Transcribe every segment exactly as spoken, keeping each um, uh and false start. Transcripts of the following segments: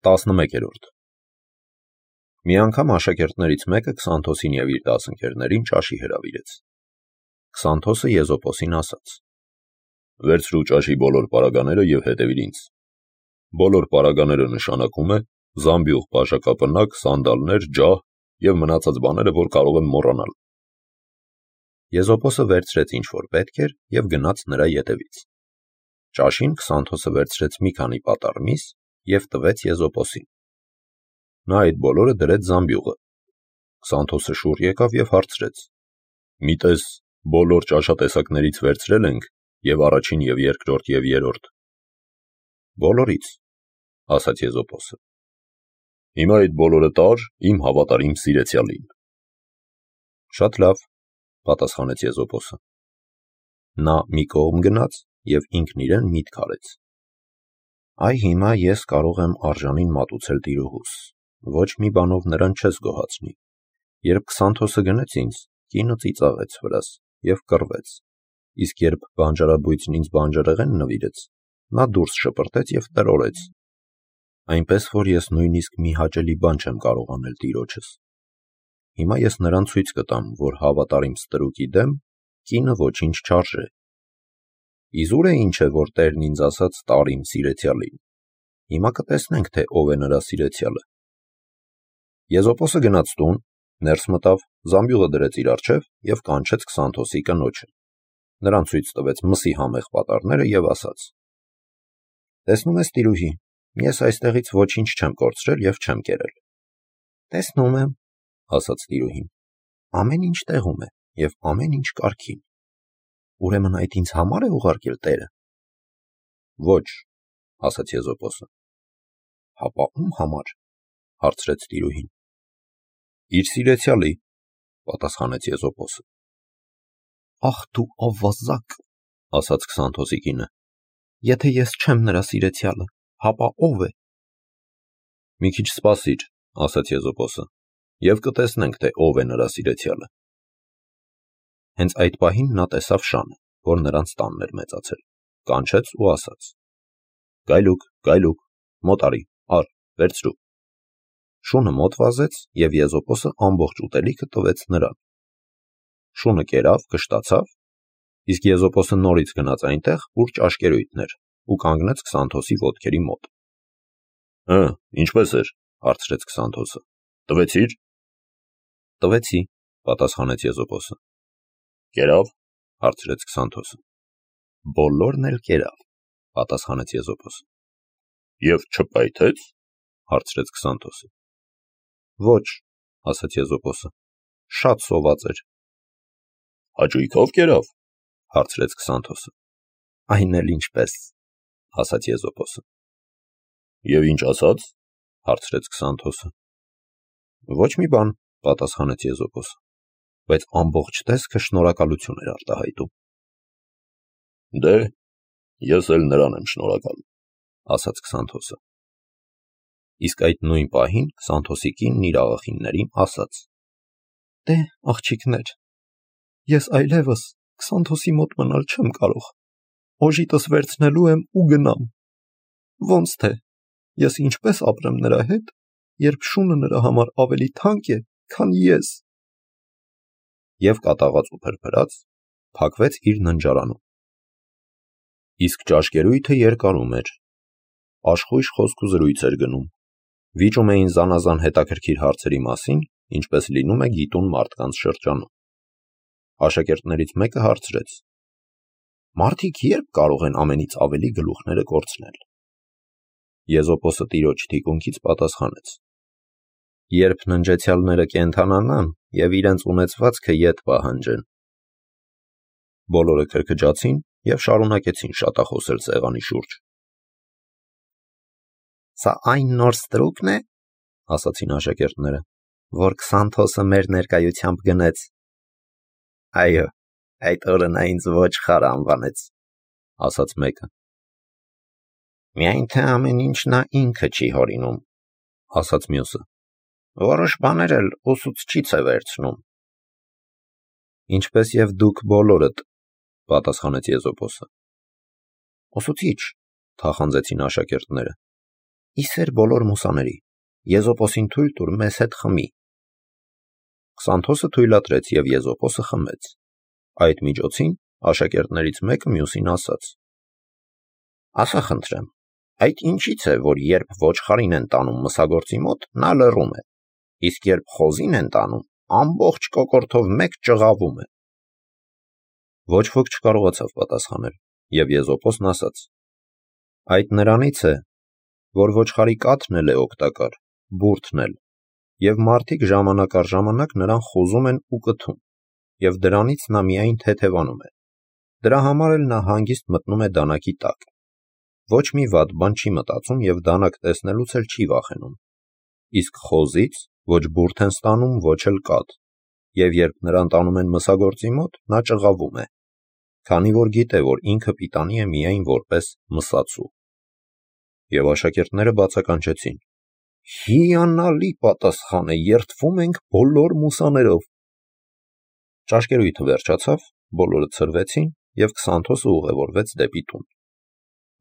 տասնմեկերորդ Մի անգամ աշակերտներից մեկը Քսանթոսին և իր դասընկերներին ճաշի հրավիրեց։ Քսանթոսը Եզոպոսին ասաց. Վերցրու ճաշի բոլոր պարագաները և հետևիր ինձ։ Բոլոր պարագաները նշանակում է զամբյուղ, բաժակապնակ, սանդալներ, ջահ և մնացած բաները, որ կարող եմ մոռանալ։ Եզոպոսը վերցրեց ինչ որ պետք էր և գնաց նրա ետևից։ Ճաշին Քսանթոսը վերցրեց մի քանի պատառ միս և տվեց Եզոպոսին։ Նա այդ բոլորը դրեց զամբյուղը։ Քսանթոսը շուռ եկավ և հարցրեց. Մի տես, բոլոր ճաշատեսակներից վերցրել ենք և առաջին և երկրորդ և երրորդ։ Բոլորից, ասաց Եզոպոսը։ Հիմա այդ բոլորը տար իմ հավատարիմ սիրեցյալին։ Շատ լավ, պատասխանեց Եզոպոսը։ Նա մի կողմ գնաց և ինքն իրեն միտք արեց. Այ հիմա ես կարող եմ արժանին մատուցել տիրոհուս, ոչ մի բանով նրան չես գոհացնի։ Երբ Քսանթոսը գնեց ինձ, կինը ծիծաղեց վրաս և կռվեց, իսկ երբ բանջարաբույծն ինձ բանջարեղեն նվիրեց, նա դուրս շպրտեց և տրորեց, այնպես որ ես նույնիսկ մի հաճելի բան չեմ կարող անել տիրոջս։ Հիմա ես նրան ցույց կտամ, որ հավատարիմ ստրուկի դեմ կինը ոչինչ չարժե։ Իզուր է ինչ է, որ Տերն ինձ ասաց տար իմ սիրեցյալին։ Հիմա կտեսնենք, թե ով է նրա սիրեցյալը։ Եզոպոսը գնաց տուն, ներս մտավ, զամբյուղը դրեց իր առջև և կանչեց Քսանթոսի կնոջը։ Նրան ցույց տվեց մսի համեղ պատառները և ասաց. Տեսնում ես, տիրուհի, ես այստեղից ոչինչ չեմ կորցրել և չեմ կերել։ Տեսնում եմ, ասաց տիրուհին, ամեն ինչ տեղում է և ամեն ինչ կարգին։ Ուրեմն այդ ինձ համար է ուղարկել Տերը։ Ոչ, ասաց Եզոպոսը։ Հապա ում համար, հարցրեց տիրուհին։ Իր սիրեցյալի, պատասխանեց Եզոպոսը։ Ախ դու ավազակ, ասաց Քսանթոսի կինը, եթե ես չեմ նրա սիրեցյալը, հապա ով է։ Մի քիչ սպասիր, ասաց Եզոպոսը, և կտեսնենք, թե ով է նրա սիրեցյալը։ Հենց այդ պահին նա տեսավ շանը, որ նրանց տանն էր մեծացել, կանչեց ու ասաց. Գայլուկ, գայլուկ, մոտ արի, առ, վերցրու։ Շունը մոտ վազեց և Եզոպոսը ամբողջ ուտելիքը տվեց նրան։ Շունը կերավ, կշտացավ, իսկ Եզոպոսը նորից գնաց այնտեղ, ուր ճաշկերույթն էր, ու կանգնեց Քսանթոսի ոտքերի մոտ։ Հը, ինչպե՞ս էր, հարցրեց Քսանթոսը։ Տվեցի՞ր։ Տվեցի, պատասխանեց Եզոպոսը։ Կերավ, հարցրեց Քսանթոսը։ Բոլորն էլ կերավ, պատասխանեց Եզոպոսը։ Եվ չպայթեց, հարցրեց Քսանթոսը։ Ոչ, ասաց Եզոպոսը, շատ սոված էր։ Հաճույքով կերավ, հարցրեց Քսանթոսը։ Այն էլ ինչպես, ասաց Եզոպոսը։ Եվ ինչ ասաց, հարցրեց Քսանթոսը։ Ոչ մի բան, պատասխանեց Եզոպոսը, բայց ամբողջ տեսքը շնորհակալություն էր արտահայտում։ Դե, ես էլ նրան եմ շնորհակալ, ասաց Քսանթոսը։ Իսկ այդ նույն պահին Քսանթոսի կինն իր աղախիններին ասաց. Դե, աղջիկներ, ես այլևս Քսանթոսի մոտ մնալ չեմ կարող, օժիտս վերցնելու եմ ու գնամ։ Ոնց թե, ես ինչպես ապրեմ նրա հետ, երբ շունը նրա համար ավելի թանկ է, քան ես։ Եվ կատաղած ու փրփրած փակվեց իր ննջարանում։ Իսկ ճաշկերույթը երկարում էր։ Աշխույժ խոսք ու զրույց էր գնում։ Վիճում էին զանազան հետաքրքիր հարցերի մասին, ինչպես լինում է գիտուն մարդկանց շրջանում։ Աշակերտներից մեկը հարցրեց. Մարդիկ ե՞րբ կարող են ամենից ավելի գլուխները կորցնել։ Եզոպոսը տիրոջ թիկունքից պատասխանեց. Երբ ննջեցյալները կենդանանան և իրենց ունեցվածքը ետ պահանջեն։ Բոլորը քրքջացին և շարունակեցին շատախոսել սեղանի շուրջ։ Սա այն նոր ստրուկն է, ասացին աշակերտները, որ Քսանթոսը մեր ներկայությամբ գնեց։ Այո, այդ օրը նա ինձ ոչխար անվանեց, ասաց մեկը։ Միայն թե ամեն ինչ նա ինքը չի հորինում, ասաց մյուսը։ Որոշ բաներ էլ ուսուցչից է վերցնում։ Ինչպես և դուք բոլորդ, պատասխանեց Եզոպոսը։ Ուսուցիչ, թախանձեցին աշակերտները։ Իսեր բոլոր մուսաների, Եզոպոսին թույլ տուր մեզ հետ խմի։ Քսանթոսը թույլատրեց և Եզոպոսը խմեց։ Այդ միջոցին աշակերտներից մեկը մյուսին ասաց. ասա խնդրեմ, այդ ինչից է, որ երբ ոչխարին են տանում մսագործի մոտ, նա լռում է, իսկ երբ խոզին են տանում, ամբողջ կոկորդով մեկ ճղավում է։ Ոչ ոք չկարողացավ պատասխանել, և Եզոպոսն ասաց. այդ նրանից է, որ ոչխարի կաթն էլ է օգտակար, բուրդն էլ, և մարդիկ ժամանակ առ ժամանակ նրան խոզում են ու կթում, և դրանից նա միայն թեթևանում է։ Դրա համար էլ նա հանգիստ մտնում է դանակի տակ։ Ոչ մի վատ բան չի մտածում և դանակ տեսնելուց էլ չի վախենում։ Իսկ խոզից ոչ բուրդ են ստանում, ոչ էլ կաթ, և երբ նրան տանում են մսագործի մոտ, նա ճղավում է, քանի որ գիտե, որ ինքը պիտանի է միայն որպես մսացու։ Եվ աշակերտները բացականչեցին. հիանալի պատասխան է, երդվում ենք բոլոր մուսաներով։ Ճաշկերույթը վերջացավ, բոլորը ցրվեցին, և Քսանթոսը ուղևորվեց դեպի տուն։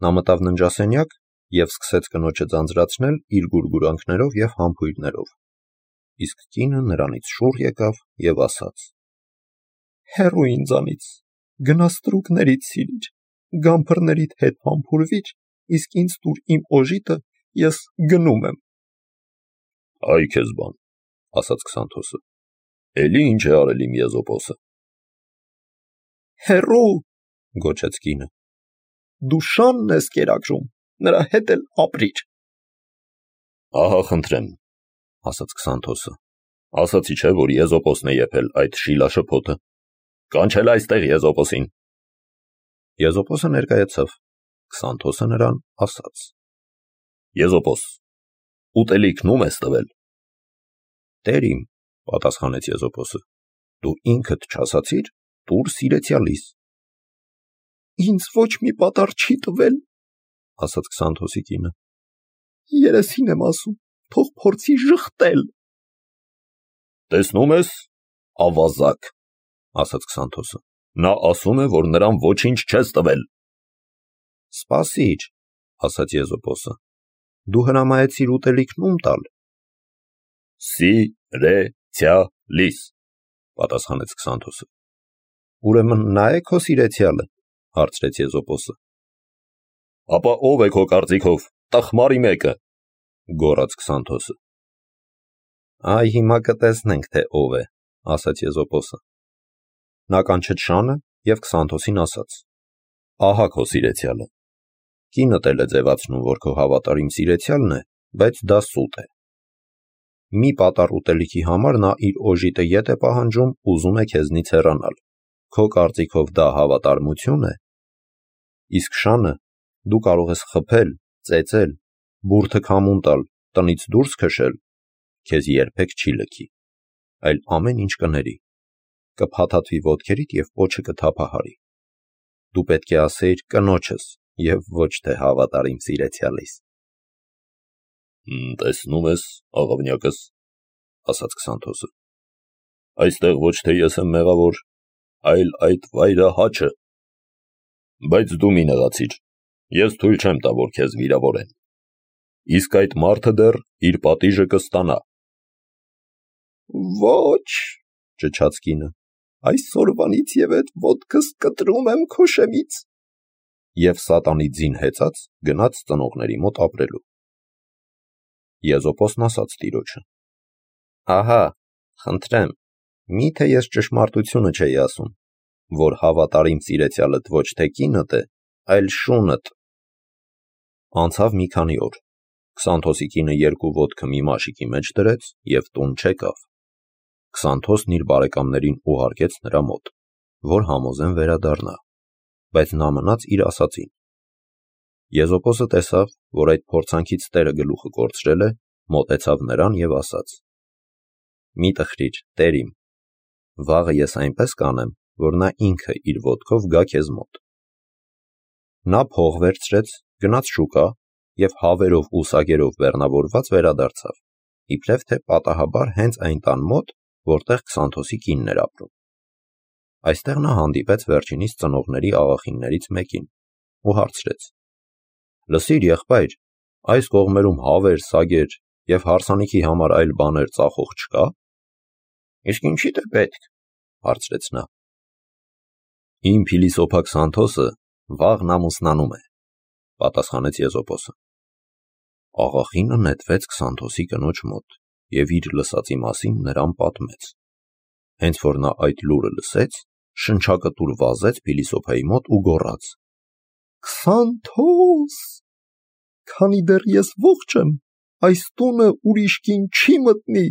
Նա մտավ ննջասենյակ և սկսեց կնոջը ձանձրացնել իր գուրգուրանքներով և համբույրներով։ Իսկ կինը նրանից շուռ եկավ և ասաց. հեռու ինձանից, գնա ստրուկներից սիրիր, գամբրներիդ հետ համբուրվիր, իսկ ինձ տուր իմ օժիտը, ես գնում եմ։ Այ քեզ բան, ասաց Քսանթոսը, էլի ինչ է արել իմ Եզոպոսը։ Հեռու, գոչեց կինը, դու շանն ես կերակրում, նրա հետ էլ ապրիր։ Ահա խնդրեմ, ասաց Քսանթոսը, ասացի չէ, որ Եզոպոսն է եփել այդ շիլաշփոթը, կանչել այստեղ Եզոպոսին։ Եզոպոսը ներկայացավ, Քսանթոսը նրան ասաց. Եզոպոս, ուտելիքն ում ես տվել։ Տեր իմ, պատասխանեց Եզոպոսը, դու ինքդ չասացիր, տուր սիրեցյալիս։ Ինձ ոչ մի պատառ չի տվել, ասաց Քսանթոսի կինը։ Երեսին եմ ասում, թող փորձի ժխտել։ Տեսնում ես, ավազակ, ասաց Քսանթոսը, նա ասում է, որ նրան ոչինչ չես տվել։ Սպասիր, ասաց Եզոպոսը, դու հրամայեցիր ուտելիքն ում տալ։ Սիրեցյալիս, պատասխանեց Քսանթոսը։ Ուրեմն նա է քո սիրեցյալը, հարցրեց Եզոպոսը։ Ապա ով է քո կարծիքով, տխմարի մեկը, գոռաց Քսանթոսը։ Այ հիմա կտեսնենք, թե ով է, ասաց Եզոպոսը։ Նա կանչեց շանը և Քսանթոսին ասաց. ահա քո սիրեցյալը։ Կինդ էլ է ձևացնում, որ քո հավատարիմ սիրեցյալն է, բայց դա սուտ է։ Մի պատառ ուտելիքի համար նա իր օժիտը ետ է պահանջում, ուզում է քեզնից հեռանալ։ Քո կարծիքով դա հավատարմություն է։ Իսկ շանը դու կարող ես խփել, ծեծել, բուրդը քամուն տալ, տնից դուրս քշել, քեզ երբեք չի լքի, այլ ամեն ինչ կների, կփաթաթվի ոտքերիդ և պոչը կթափահարի։ Դու պետք է ասեիր կնոջս և ոչ թե հավատարիմ սիրեցյալիս։ Տեսնում ես, աղավնյակս, ասաց Քսանթոսը, այստեղ ոչ թե ես եմ մեղավոր, այլ այդ վայրահաչը։ Բայց դու մի նեղացիր, ես թույլ չեմ տա, որ քեզ վիրավորեն։ Իսկ այդ մարդը դեռ իր պատիժը կստանա։ Ոչ, ճչաց կինը, այսօրվանից և այդ ոտքս կտրում եմ քո շեմից։ Եվ սատանի ձին հեծած գնաց ծնողների մոտ ապրելու։ Եզոպոսն ասաց տիրոջը. ահա, խնդրեմ, միթե ես ճշմարտությունը չէի ասում, որ հավատարիմ սիրեցյալդ ոչ թե կինդ է, այլ շունդ։ Անցավ մի քանի օր։ Քսանթոսի կինը երկու ոտքը մի մաշիկի մեջ դրեց և տուն չեկավ։ Քսանթոսն իր բարեկամներին ուղարկեց նրա մոտ, որ համոզեն վերադառնա, բայց նա մնաց իր ասածին։ Եզոպոսը տեսավ, որ այդ փորձանքից տերը գլուխը կորցրել է, մոտեցավ նրան և ասաց. մի տխրիր, տեր իմ, վաղը ես այնպես կանեմ, որ նա ինքը իր ոտքով գա քեզ մոտ։ Նա փող վերցրեց, գնաց շուկա և հավերով ու սագերով բեռնավորված վերադարձավ, իբրև թե պատահաբար հենց այն տան մոտ, որտեղ Քսանթոսի կինն էր ապրում։ Այստեղ նա հանդիպեց վերջինիս ծնողների աղախիններից մեկին ու հարցրեց. լսիր, եղբայր, Այս կողմերում հավեր, սագեր և հարսանիքի համար այլ բաներ ծախող չկա։ Իսկ ինչի՞դ է պետք, հարցրեց նա։ Իմ փիլիսոփա Քսանթոսը վաղն ամուսնանում է, պատասխանեց Եզոպոսը։ Աղախինը նետվեց Քսանթոսի կնոջ մոտ և իր լսածի մասին նրան պատմեց։ Հենց որ նա այդ լուրը լսեց, շնչակտուր վազեց փիլիսոփայի մոտ ու գոռաց. Քսանթո՛ս, քանի դեռ ես ողջ եմ, այս տունը ուրիշ կին չի մտնի։